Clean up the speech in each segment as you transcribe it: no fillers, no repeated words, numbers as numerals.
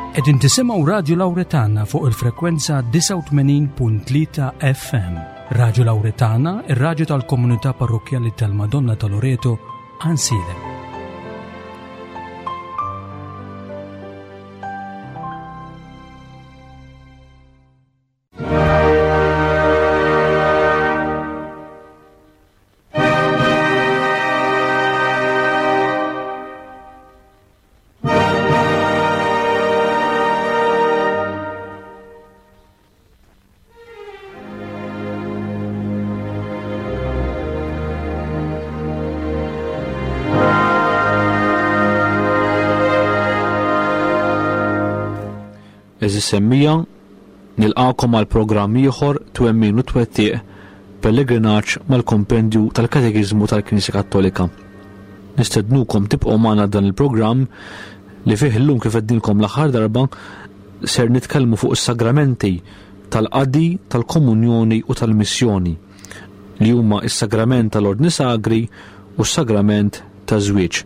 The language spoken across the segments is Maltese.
Qegħdin tisimgħu Radju Lawretana fuq il-frekwenza 89.3 FM. Radju Lawretana, ir-radju tal-komunità parrokkjali tal-Madonna ta' Loreto, Ansilem. Eżis semmija, nilqakom għal programm ieħor twemmin u twettiq pellegrinaġġ mal-kompendju tal-Katekiżmu tal-Knisja Kattolika. Nistednukom tibqgħu magħna dan il-programm li fih illum kif għednilkom l-aħħar darba ser nitkellmu fuq is-sagramenti tal-qadi, tal-komunjoni u tal-missjoni li huma s-sagrament tal-Ordni Sagri u s-sagrament taż-żwieġ.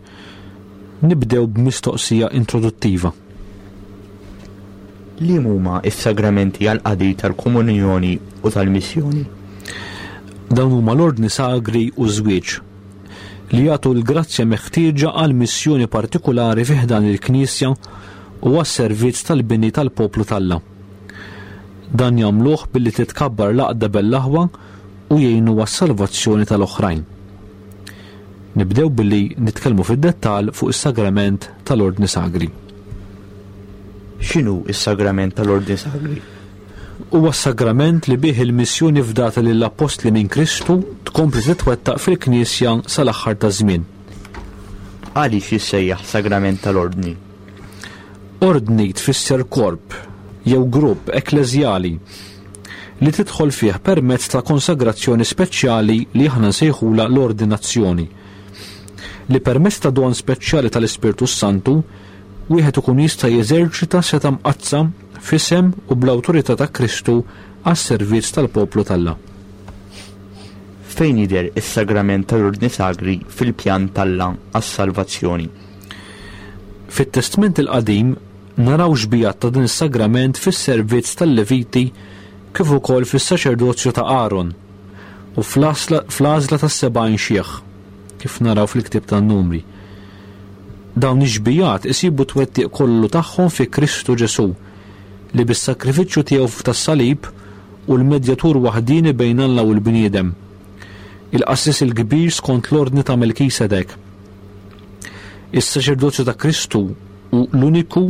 Nibdew b'mistoqsija introduttiva. Liem huma s-sagramenti għall-qadi tal-komunjoni u tal-missjoni? Dawn huma l-Ordni Sagri u ż-żwieġ, li jagħtu l-grazzja meħtieġa għal missjoni partikulari fi ħdan il-Knisja u għas-servizz tal-bini tal-poplu t'Alla. Dan jagħmluh billi titkabbar l-għaqda bejn l-aħwa u jgħinu għas-salvazzjoni tal-oħrajn. Nibdew billi nitkellmu fid-dettall fuq is-sagrament tal-Ordni Sagri. X'inhu s-sagrament tal-Ordni Sagri? Huwa s-sagrament li bih il-missjoni fdata lill-Appostli minn Kristu tkompli titwettaq fil-Knisja sal-aħħar taż-żmien. Għaliex jissejjaħ sagrament tal-Ordni? Ordni tfisser korp jew grupp ekkleżjali li tidħol fih permezz ta' konsagrazzjoni speċjali li aħna nsejħulha l-ordinazzjoni, li permezz ta' don speċjali tal-Ispirtu s-Santu wieħed ikun jista' jeżerċita setgħa mqaddsa f'isem u bl-awtorità ta' Kristu għas-servizz tal-poplu t'Alla. Fejn jidher is-sagrament tal-Ordni Sagri fil-pjan t'Alla għas-salvazzjoni? Fit-Testment il-Qadim naraw xbijat ta' dan is-sagrament fis-servizz tal-Leviti kif ukoll fis-saċerdozju ta' Aaron u fl-għażla tas-70 xiħ, kif naraw fil-ktieb tan-Numri. Dawn ix-xbijat isibu t-twettiq kollu tagħhom fi Kristu Ġesù, li bis-sagrifiċċju tiegħu tas-salib hu l-medjatur waħdieni bejn Alla u l-bniedem, il-qassis il-kbir skont l-ordni ta' Melkisedek. Is-saċerdozju ta' Kristu hu l-uniku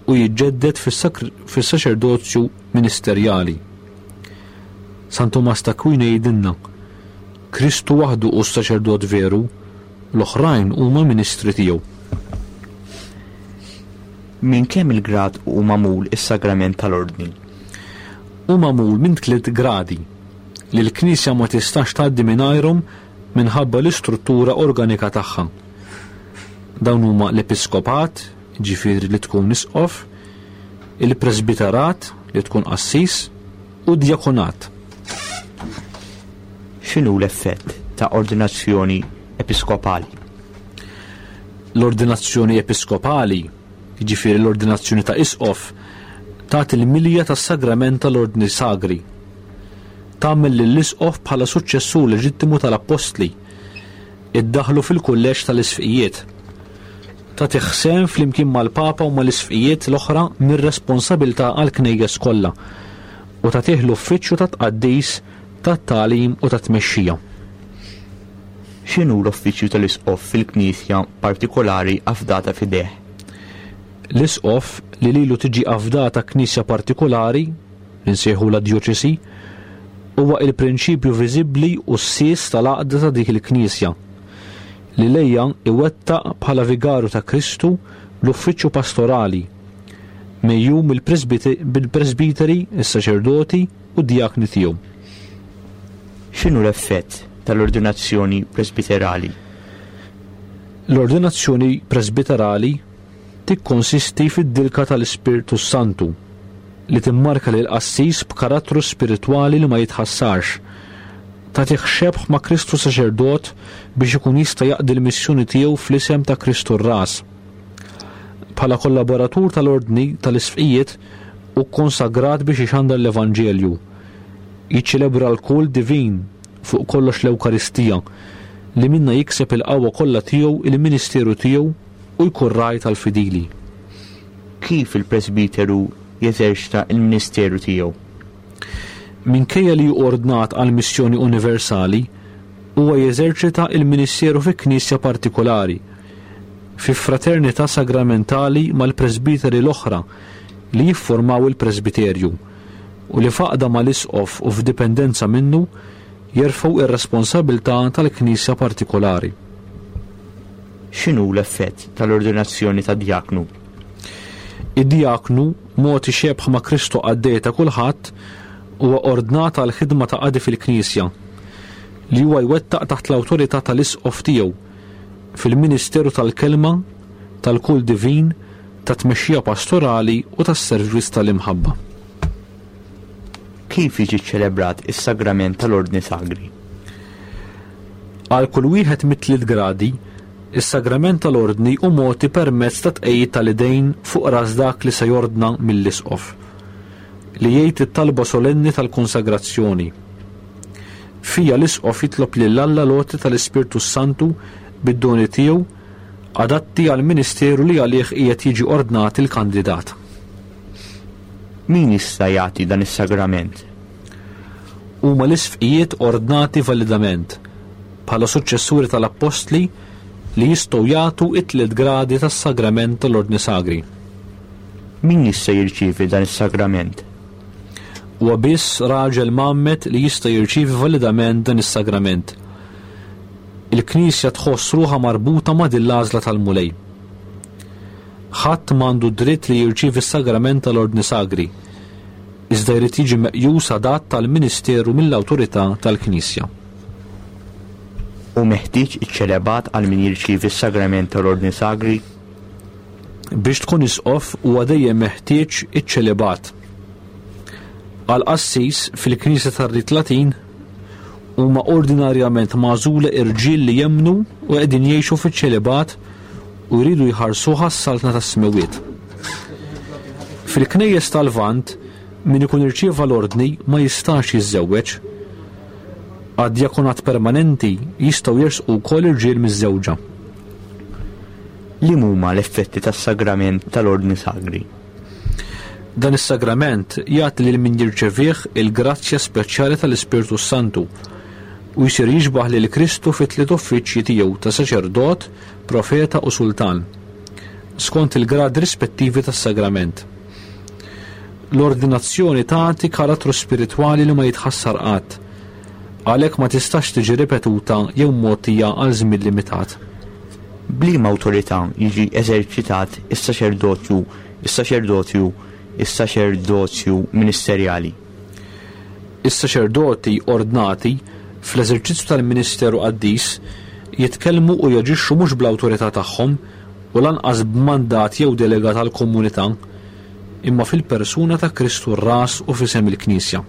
u jiġġedded fis-saċerdozju ministerjali. San Tumas t'Akwino jgħidilna, Kristu waħdu hu s-saċerdot veru, L-oħrajn huma ministri tiegħu. Minn kemm il-grad hu magħmul is-sagrament tal-Ordni? Hu magħmul minn tliet gradi, li l-Knisja ma tistax tgħaddi mingħajrhom minħabba l-istruttura organika tagħha. Dawn huma l-episkopat, jiġifieri li tkun isqof, il-presbiterat, li tkun qassis, u d-djakonat. X'inhu l-effett ta' ordinazzjoni episkopali? L-ordinazzjoni episkopali, jiġifieri l-ordinazzjoni ta' isqof, tagħti l-milja tas-sagrament tal-ordni sagri. Tagħmel lill-isqof bħala suċċessur leġittimu tal-appostli. Iddaħħlu fil-kulleġġ tal-isfqijiet. Tagħtih sehem flimkien mal-Papa u mal-isfqijiet l-oħra mir-responsabilità għall-knejjes kollha u tagħtih l-uffiċċju tat-tqaddis tat-tagħlim u tat-tmexxija. X'inhu l-uffiċċju tal-isqof fil-knisja partikolari afdata f'idejh? L-isqof li lilu tiġi afdata knisja partikolari, li nsejħulha djoċesi, huwa il-prinċipju viżibbli u s-sies tal-għaqda ta' dik il-knisja, li lejha iwettaq bħala vigarju ta' Kristu l-uffiċċju pastorali, megħjun mill-presbiteri, is-saċerdoti, u d-djakni tiegħu. X'inhu l-effett tal-ordinazzjoni presbiterali? L-ordinazzjoni presbiterali tikkonsisti fid-dilka tal-Ispirtu s-Santu li timmarka lill-qassis b'karattru spiritwali li ma jitħassarx. Tagħtih xebh ma' Kristu saċerdot biex ikun jista' jaqdi l-missjoni tiegħu fl-isem ta' Kristu r-Ras. Bħala kollaboratur tal-Ordni tal-Isqfijiet hu kkonsagrat biex ixandar l-Evanġelju, jiċċelebra l-kult divin, fuq kollox l-Ewkaristija, li minnha jikseb il-qawwa kollha tiegħu il-ministeru tiegħu u jkun ragħaj tal-fidili. Kif il-presbiteru jeżerċta l-ministeru tiegħu? Minkejja li hu ordnat għal missjoni universali, huwa jeżerċita l-ministeru fi knisja partikulari, fi fraternità sagramentali mal-presbiteri l-oħra li jifformaw il-presbiterju, u li f'għaqda mal-isqof u f'dipendenza minnu jerfgħu r-responsabilità tal-knisja partikulari. X'inhu l-effett tal-ordinazzjoni ta' djaknu? Id-djaknu, mogħti xebh ma' Kristu qaddej ta' kulħadd, huwa ordnat għal ħidma ta' qadi fil-Knisja, li huwa jwettaq taħt l-awtorità tal-isqof tiegħu, fil-ministeru tal-kelma, tal-kult divin, tat-tmexxija pastorali u tas-servizz tal-imħabba. Kif jiġi ċċelebrat is-sagrament tal-Ordni Sagri? Għal kull wieħed mit-tliet gradi, is-sagrament tal-Ordni hu mogħti permezz ta' tqegħid tal-idejn fuq ras dak li se jordna mill-isqof, li jgħid it-talba solenni tal-konsagrazzjoni. Fiha l-isqof jitlob lil Alla l-għoti tal-Ispirtu s-Santu bid-doni tiegħu adatti għall-ministeru li għalih qiegħed jiġi ordnat il-kandidat. Min jista' jagħti dan is-sagrament? Huma l-isqfijiet ordnati validament bħala suċċessuri tal-appostli li jistgħu jagħtu t-tliet gradi tas-sagrament tal-Ordni Sagri. Min jista' jirċievi dan is-sagrament? Huwa biss raġel mgħammed li jista' jirċievi validament dan is-sagrament. Il-Knisja tħoss ruħha marbuta ma' din l-għażla tal-Mulej. Ħadd m'għandu d-dritt li jirċievi s-sagrament tal-Ordni Sagri, iżda jrid jiġi meqjus adatt għall-ministeru mill-awtorità tal-Knisja. Hu meħtieġ iċ-ċelebat għal min jirċievi s-sagrament tal-Ordni Sagri? Biex tkun isqof huwa dejjem meħtieġ iċ-ċelibat. Għal qassis fil-Knisja tar-Rit Latin huma ordinarjament magħżula irġiel li jemmnu u qegħdin jgħixu fiċ-ċelibat u jridu jħarsuha s-Saltna tas-Smewwiet. Fil-Knejjes tal-Lvant min ikun irċieva l-ordni ma jistax jiżżewweġ. Għad-djakonat permanenti jistgħu jersqu wkoll irġiel miżżewġa. Liem huma l-effetti tas-sagrament tal-Ordni Sagri? Dan is-sagrament jagħti lil min jirċevih il-grazzja speċjali tal-Ispirtu s-Santu u jsir jixbah lil Kristu fit-tliet uffiċċji tiegħu ta' saċerdot, profeta u sultan, skont il-gradi rispettivi tas-sagrament. L-ordinazzjoni tagħti karattru spiritwali li ma jitħassar qatt. Għalhekk ma tistax tiġi ripetuta jew mgħottija għal żmien limitat. B'liema awtorità jiġi eżerċitat is-saċerdozju is-saċerdozju is-saċerdozju ministerjali? Is-saċerdoti ordnati, fl-eżerċizzju tal-ministeru qaddis, jitkellmu u jaġixxu mhux bl-awtorità tagħhom u lanqas b'mandat jew delega tal-komunità, imma fil-persuna ta' Kristu r-Ras u f'isem il-Knisja.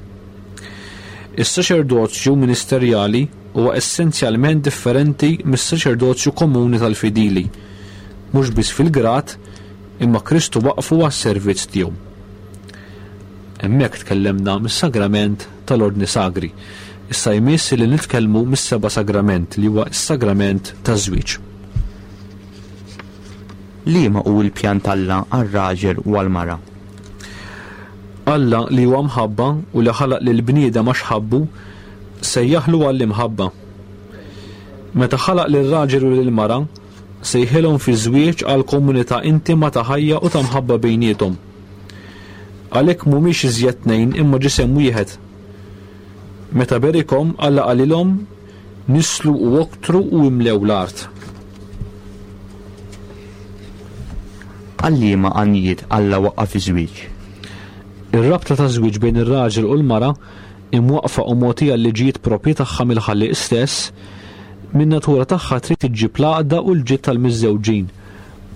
Is-saċerdozju ministerjali huwa essenzjalment differenti mis-saċerdozju komuni tal-fidili, mhux biss fil-grad, imma Kristu waqqfu għas-servizz tiegħu. Hemmhekk tkellemna mis-sagrament tal-Ordni Sagri. Issa jmiss li nitkellmu mis-seba' sagrament li huwa s-sagrament taż-żwieġ. Liema hu l-pjan t'Alla għar-raġel u għall-mara? Alla li huwa mħabba u li ħalaq lill-bniedem għax ħabbu, sejjaħlu għall-imħabba. Meta ħalaq lir-raġel u lill-mara, sejħilhom fiż-żwieġ għal komunità intima ta' ħajja u ta' mħabba bejniethom. Għalhekk mhumiex iżjed tnejn imma ġisem wieħed. Meta berikhom, Alla qalilhom, Nisslu u oktru u imlew l-art. Għal liema għanijiet Alla waqqaf iż-żwieġ? Ir-rabta taż-żwieġ bejn ir-raġel u l-mara, imwaqqfa u mogħtija l-liġijiet proprji tagħha mill-Ħallieq stess, min-natura tagħha trid iġġib l-għaqda u l-ġid tal-miżżewġin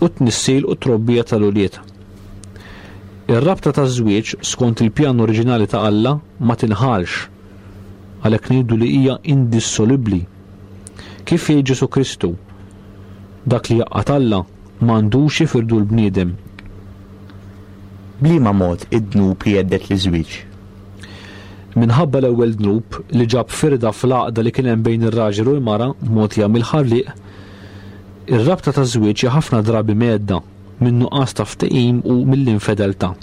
u t-tnissil u t-trobbija tal-ulied. Ir-rabta taż-żwieġ, skont il-pjan oriġinali ta' Alla, ma tinħallx. Għalhekk ngħidu li hija indissolubbli. Kif jgħid Ġesù Kristu, Dak li jgħaqqad Alla, M'għandux jifirdu l-bniedem. B'liema mod id-dnub jhedded liż-żwieġ? Minħabba l-ewwel dnub, li ġab firda fl-għaqda li kien hemm bejn ir-raġel u l-mara mogħtija mill-Ħallieq, ir-rabta taż-żwieġ hija ħafna drabi mhedda min-nuqqas ta' ftehim u mill-infedeltà.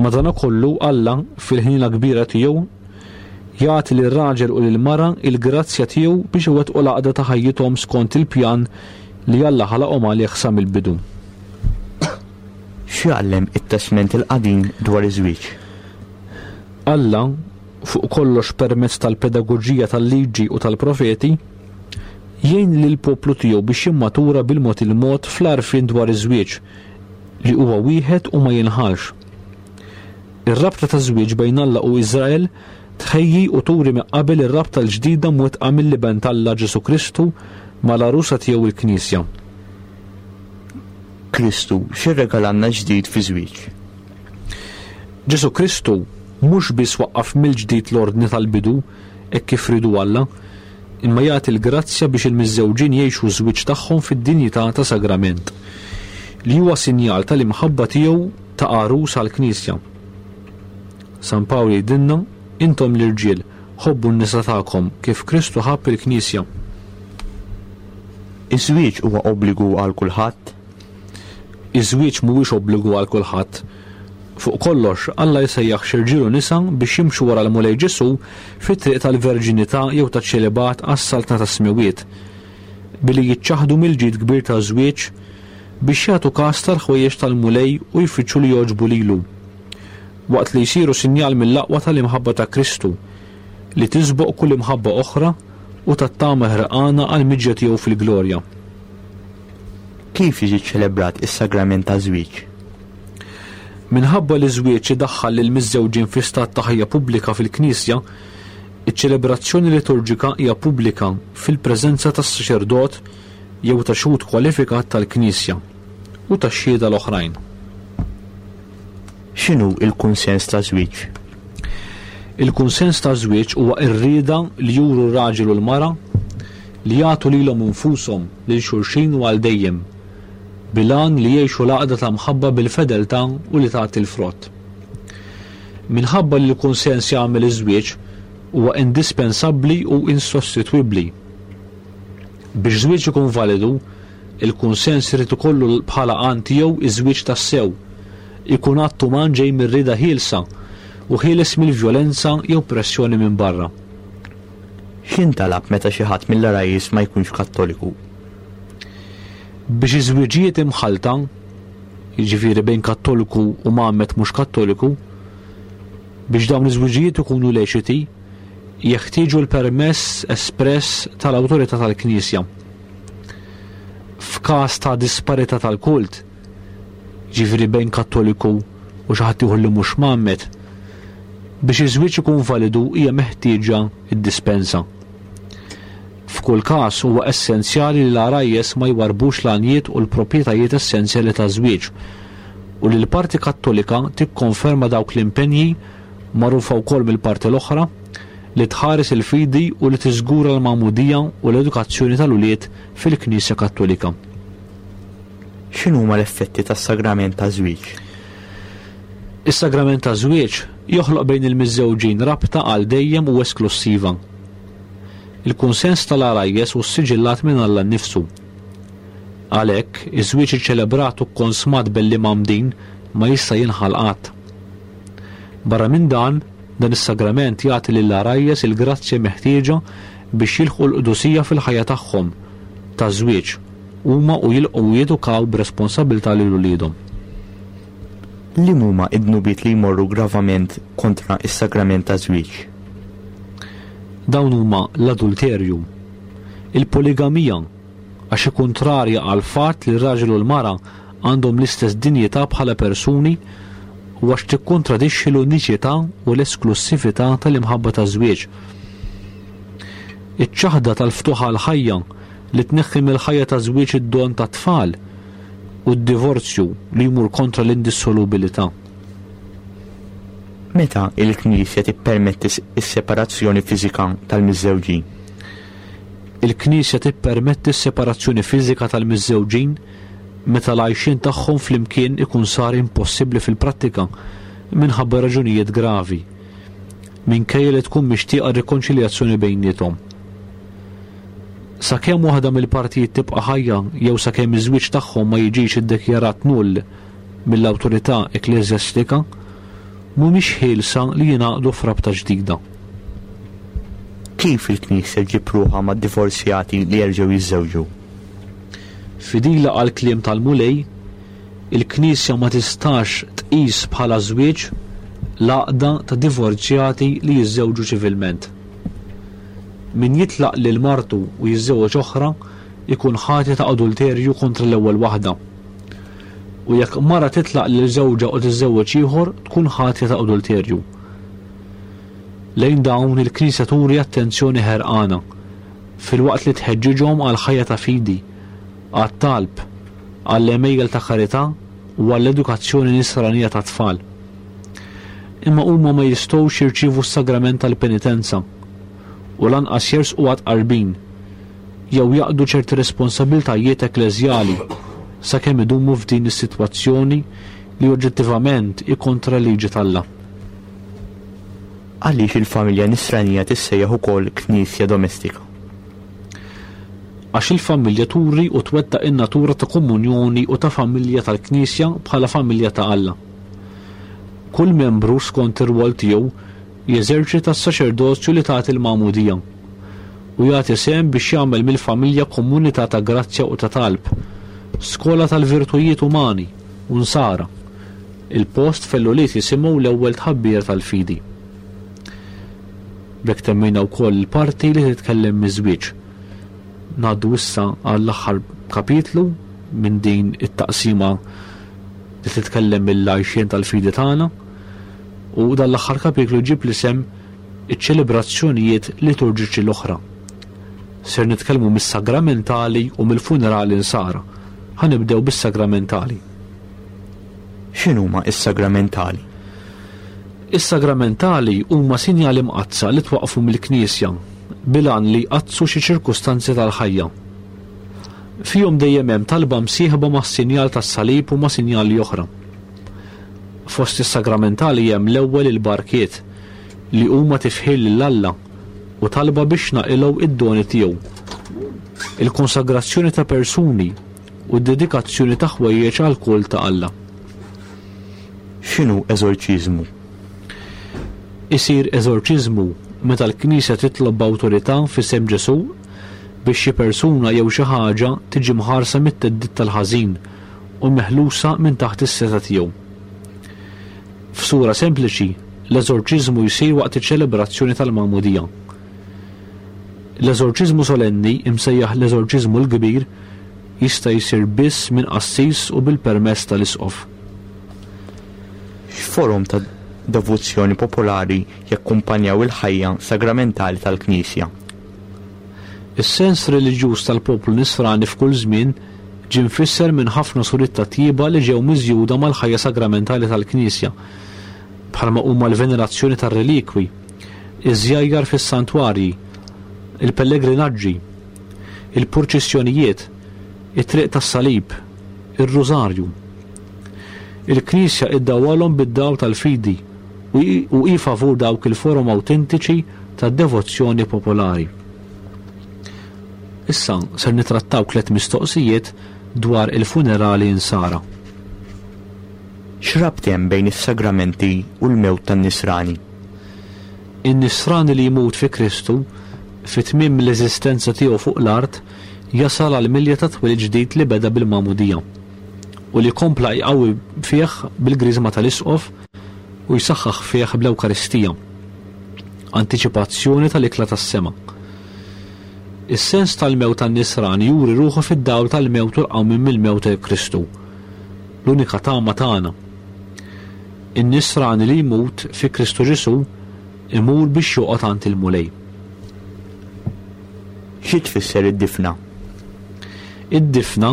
Madankollu, Alla, fil-ħniena kbira tiegħu, jagħti lir-raġel u lill-mara l-grazzja tiegħu biex iwettqu l-għaqda ta' ħajjithom skont il-pjan li Alla ħalaqhom għalih sa mill-bidu. X'jgħallem it-Testment il-Qadim dwar iż-żwieġ? Alla, fuq kollox permezz tal-pedagoġija tal-Liġi u tal-Profeti, jgħin lill-poplu tiegħu biex jimmatura bil-mod il-mod fl-għarfien dwar iż-żwieġ, li huwa wieħed u ma jinħallx. Ir-rabta taż-żwieġ bejn Alla u Iżrael tħejji u turi minn qabel ir-rabta l-ġdida mwettqa mill-Iben t'Alla Ġesù Kristu mal-għarusa tiegħu l-Knisja. Kristu x'irregalalna ġdid fiż-żwieġ? Ġesù Kristu mhux biss waqqaf mill-ġdid l-ordni tal-bidu hekk kif riedu Alla, imma jagħti l-grazzja biex il-miżżewġin jgħixu ż-żwieġ tagħhom fid-dinjità ta' sagrament, li huwa sinjal tal-imħabba tiegħu ta' għarus għall-Knisja. San Pawl jgħidilna, Intom l-irġiel, ħobbu n-nisa tagħkom kif Kristu ħabb il-Knisja. Iż-żwieġ huwa obbligu għal kulħadd? Iż-żwieġ mhuwiex obbligu għal kulħadd. Fuq kollox, Alla jsejjaħ xi rġiel u nisa biex jimxu wara l-Mulej Ġesù fit-triq tal-verġinità jew taċ-ċelibat għas-Saltna tas-Smewwiet, billi jiċċaħħdu mill-ġid kbir taż-żwieġ biex jagħtu kas tal-ħwejjeġ tal-Mulej u jfittxu li jogħġbu lilu, waqt li jsiru sinjal mill-aqwa tal-imħabba ta' Kristu, li tisboq kull imħabba oħra u tat-tama ħerqana għall-miġja tiegħu fil-glorja. Kif jiġi ċċelebrat is-sagrament taż-żwieġ? Minħabba li ż-żwieġ idaħħal lill-miżżewġin fi stat ta' ħajja pubblika fil-Knisja, iċ-ċelebrazzjoni liturġika hija pubblika fil-preżenza tas-saċerdot jew ta' xhud kwalifikat tal-Knisja u tax-xhieda l-oħrajn. X'inhu l-kunsens taż-żwieġ? Il-kunsens taż-żwieġ huwa r-rieda li juru r-raġel u l-mara li jagħtu lilhom infushom lil xulxin u għal dejjem, bil-għan li jgħixu l-għaqda ta' mħabba bil-fedeltà u li tagħti l-frott. Minħabba li l-kunsens jagħmel iż-żwieġ, huwa indispensabbli u insostitwibbli. Biex żwieġ ikun validu, il-kunsens irid ikollu bħala għan tiegħu iż-żwieġ tassew, ikun att uman ġej mir-rieda ħielsa u ħieles mill-vjolenza jew pressjoni minn barra. X'jintalab meta xi ħadd mill-għarajjes ma jkunx Kattoliku? Biex iż-żwiġijiet imħallta, jiġifieri bejn Kattoliku u mgħammed mhux Kattoliku, biex dawn iż-żwiġijiet ikunu leċiti, jeħtieġu l-permess espress tal-awtorità tal-Knisja. F'każ ta' disparità tal-kult, jiġifieri bejn Kattoliku u xi ħadd ieħor li mhux mgħammed, biex iż-żwieġ ikun validu hija meħtieġa d-dispensa. F'kull każ huwa essenzjali li l-għarajjes ma jwarrbux l-għanjiet u l-proprjetajiet essenzjali taż-żwieġ u li l-parti Kattolika tikkonferma dawk l-impenji, magħrufa wkoll mill-parti l-oħra, li tħares il-fidi u li tiżgura l-magħmudija u l-edukazzjoni tal-ulied fil-Knisja Kattolika. X'inhuma l-effetti tas-sagrament taż-żwieġ? Is-sagrament taż-żwieġ joħloq bejn il-miżżewġin rabta għal dejjem u esklussiva. Il-kunsens tal-għarajjes hu ssiġillat minn Alla nnifsu. Għalhekk, iż-żwieġ iċċelebrat u kkonsmat belli mgħammdin ma jista' jinħall qatt. Barra minn dan, dan is-sagrament jagħti lill-għarajjes il-grazzja meħtieġa biex jilħqu l-qdusija fil-ħajja tagħhom taż-żwieġ, huma u jilqgħu u jedukaw b'responsabbiltà lil uliedhom. Liem huma d-dnubiet li jmorru gravament kontra s-sagrament taż-żwieġ? Dawn huma l-adulterju, il-poligamija, għax hi kuntrarja għall-fatt li r-raġel u l-mara għandhom l-istess dinjità bħala persuni u għax tikkontradixxi l-uniċità u l-esklussività tal-imħabba taż-żwieġ. Iċ-ċaħda tal-ftuħ għall-ħajja li tneħħi mill-ħajja taż-żwieġ id-don tat-tfal u d-divorzju li jmur kontra l-indissolubilità. Meta l-Knisja tippermetti s-separazzjoni fiżika tal-miżżewġin? Il-Knisja tippermetti s-separazzjoni fiżika tal-miżżewġin meta l-għajxien tagħhom flimkien ikun sar impossibbli fil-prattika minħabba raġunijiet gravi, minkejja li tkun mixtieqa r-rikonċiljazzjoni bejniethom. Sakemm waħda mill-partijiet tibqa' ħajja jew sakemm iż-żwieġ tagħhom ma jiġix iddikjarat null mill-awtorità ekkleżjastika, mhumiex ħielsa li jingħaqdu f'rabta ġdida. Kif il-Knisja ġġib ruħha mad-divorzjati li jerġgħu jiżżewġu? Fidila għall-kliem tal-Mulej, il-Knisja ma tistax tqis bħala żwieġ l-għaqda ta' divorzjati li jiżżewġu ċivilment. Min jitlaq lil martu u jiżżewweġ oħra jkun ħati ta' adulterju kontra l-ewwel waħda. U jekk mara titlaq lil żewġha u tiżżewweġ ieħor tkun ħatja ta' adulterju. Lejn dawn il-Knisja turi attenzjoni ħerqana, filwaqt li tħeġġiġhom għal ħajja ta' fidi, għat-talb, għall-għemejjel ta' karità u għall-edukazzjoni nisranija tat-tfal. Imma huma ma jistgħux jirċievu s-sagrament tal-penitenza u lanqas jersqu għat-tqarbin jew jaqdu ċerti responsabbiltajiet ekkleżjali sakemm idumu f'din is-sitwazzjoni li oġġettivament hi kontra l-liġi t'Alla. Għaliex il-familja nisranija tissejjaħ ukoll knisja domestika? Għax il-familja turi u twettaq in-natura ta' komunjoni u ta' familja tal-Knisja bħala familja ta' Alla. Kull membru skont ir-rwol tiegħu jeżerċita s-saċerdozju li tagħti l-magħmudija u jagħti sehem biex jagħmel mill-familja komunità ta' grazzja u ta' talb, skola tal-virtujiet umani u nsara, il-post fejn l-ulied jisimgħu l-ewwel tħabbira tal-fidi. B'hekk temmejna wkoll il-parti li titkellem miż-żwieġ. Ngħaddu issa għall-aħħar kapitlu minn din it-taqsima li titkellem mill-għajxien tal-fidi tagħna u dan l-aħħar kapitlu jġib l-isem iċ-ċelebrazzjonijiet liturġiċi l-oħra. Ser nitkellmu mis-sagramentali u mill-funerali nsara. Ħa nibdew bis-sagramentali. X'inhuma s-sagramentali? Is-sagramentali huma sinjali mqaddsa li twaqqfu mill-Knisja bil-għan li jqaddsu xi ċirkustanzi tal-ħajja. Fihom dejjem hemm talba msieħba mas-sinjal tas-salib u ma' sinjali oħra. Fost is-sagramentali hemm l-ewwel il-barkiet, li huma tifħir lil Alla u talba biex naqilgħu id-doni tiegħu. Il-konsagrazzjoni ta' persuni u d-dedikazzjoni ta' ħwejjeġ għall-kult ta' Alla. X'inhu eżorċiżmu? Isir eżorċiżmu meta l-Knisja titlob b'awtorità f'isem Ġesù biex xi persuna jew xi ħaġa tiġi mħarsa mit-theddid tal-ħażin u meħlusa minn taħt is-setgħa tiegħu. F'sura sempliċi, l-eżorċiżmu jsir waqt iċ-ċelebrazzjoni tal-magħmudija. L-eżorċiżmu solenni, imsejjaħ l-eżorċiżmu l-kbir, jista' jsir biss minn qassis u bil-permess tal-isqof. X'forom ta' devozzjoni popolari jakkumpanjaw il-ħajja sagramentali tal-Knisja? Is-sens reliġjuż tal-poplu Nisrani f'kull żmien ġie mfisser minn ħafna suriet ta' tjieba li ġew miżjuda mal-ħajja sagramentali tal-Knisja, bħalma huma l-venerazzjoni tar-relikwi, iż-żjajjar fis-santwarji, il-pellegrinaġġi, il-purċissjonijiet, it-triq tas-salib, ir-rużarju. Il-Knisja iddawwalhom bid-dawl tal-fidi u hi favur dawk il-forom awtentiċi ta' devozzjoni popolari. Issa ser nitrattaw tlet mistoqsijiet dwar il-funerali insara. X'rabt hemm bejn is-sagramenti u l-mewt tan-Nisrani? In-Nisrani li jmut fi Kristu, fi tmiem l-eżistenza tiegħu fuq l-art, jasal għall-milja ta' twelid ġdid li beda bil-Magħmudija u li kompla jqawwi fih bil-Griżma tal-Isqof u jsaħħaħ fih bl-Ewkaristija, antiċipazzjoni tal-ikla tas-sema. Is-sens tal-mewt tan-Nisrani juri ruħu fid-dawl tal-mewt u l-qawmien mill-mewt ta' Kristu, l-unika tama tagħna. In-Nisrani li jmut fi Kristu Ġesù imur biex joqgħod għand il-Mulej. Xi tfisser id-difna? Id-difna,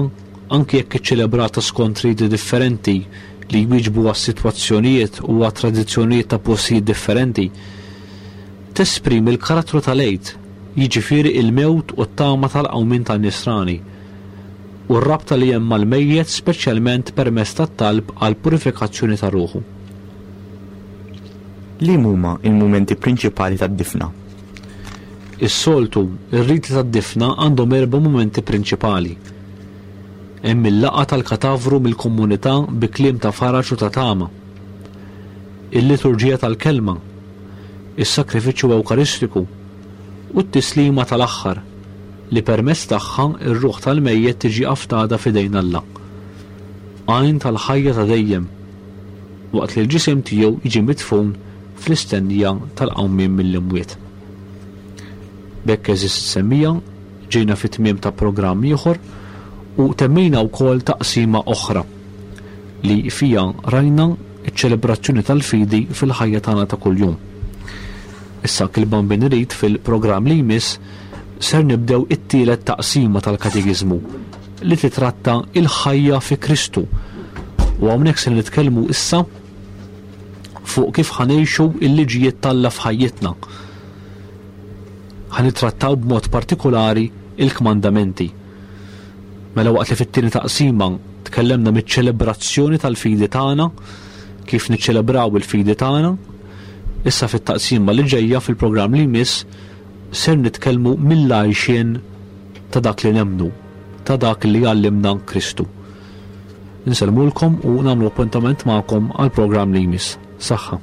anki jekk iċċelebrata skont riti differenti li jwieġbu għas-sitwazzjonijiet u għat-tradizzjonijiet ta' postijiet differenti, tesprimi l-karattru tal-Għid, jiġifieri il-mewt u t-tama tal-qawmien tan-Nisrani. u r-rabta li hemm mal-mejjet speċjalment permezz tat-talb għall-purifikazzjoni ta' ruħu. Liem huma l-mumenti prinċipali tad-difna? Is-soltu, ir-riti tad-difna għandhom erba' mumenti prinċipali. Hemm il-laqgħa tal-katavru mill-komunità bi kliem ta' faraġ u ta' tama. Il-liturġija tal-kelma, is-sagrifiċċju Ewkaristiku, u t-tislima tal-aħħar, li permezz tagħha r-ruħ tal-mejjet tiġi afdata f'idejn Alla, għajn tal-ħajja ta' dejjem, waqt li l-ġisem tiegħu jiġi midfun fl-istennija tal-qawmien mill-imwiet. B'hekk għeżież semmiegħa, ġejna fit-tmiem ta' programm ieħor u temmejna wkoll taqsima oħra li fiha rajna ċ-ċelebrazzjoni tal-fidi fil-ħajja tagħna ta' kuljum. Issa kil-Bambin irid fil-programm li jmiss ser nibdew it-tielet taqsima tal-Katekiżmu li titratta il-ħajja fi Kristu. U hawnhekk se nitkellmu issa fuq kif ħanejxu il-liġijiet t'Alla f'ħajjitna. Ħanitrattaw b'mod partikolari il-kmandamenti. Mela waqt li fit-tieni taqsima tkellemna miċ-ċelebrazzjoni tal-fidi tagħna, kif niċċelebraw il-fidi tagħna, issa fit-taqsima li ġejja fil-programm li jmiss ser nitkellmu mill-għajxien ta' dak li nemmnu, ta' dak li għallimna Kristu. Insellmulkom u nagħmlu appuntament magħkom għall-programm li jmiss. Saħħa.